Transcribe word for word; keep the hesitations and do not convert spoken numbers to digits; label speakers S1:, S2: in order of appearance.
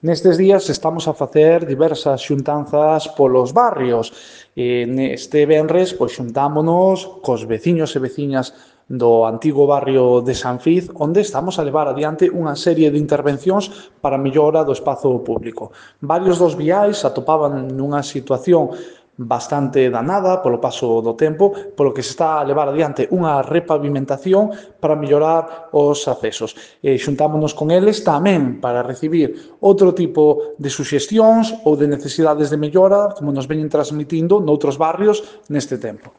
S1: Nestes días estamos a facer diversas xuntanzas polos barrios. E neste venres, pois, xuntámonos cos veciños e veciñas do antigo barrio de San Fiz, onde estamos a levar adiante unha serie de intervencións para a mellora do espazo público. Varios dos viais atopaban nunha situación bastante danada polo paso do tempo, polo que se está a levar adiante unha repavimentación para mellorar os accesos. E xuntámonos con eles tamén para recibir outro tipo de suxestións ou de necesidades de mellora, como nos veñen transmitindo noutros barrios neste tempo.